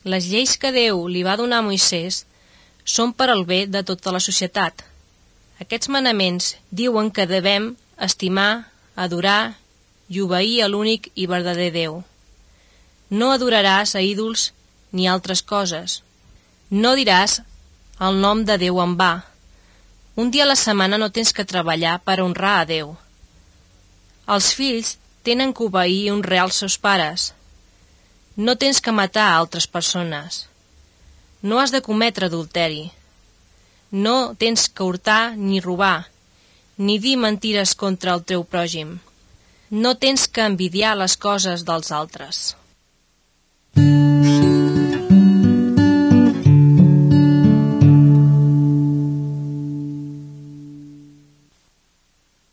Les lleis que Déu li va donar a Moisès són per al bé de tota la societat. Aquests manaments diuen que devem estimar, adorar i obeir a l'únic i verdader Déu. No adoraràs a ídols ni altres coses. No diràs el nom de Déu en va. Un dia a la setmana no tens que treballar per honrar a Déu. Els fills tenen que obeir i honrar els seus pares. No tens que matar a altres persones. No has de cometre adulteri. No tens que hurtar ni robar, ni dir mentires contra el teu pròjim. No tens que envidiar les coses dels altres.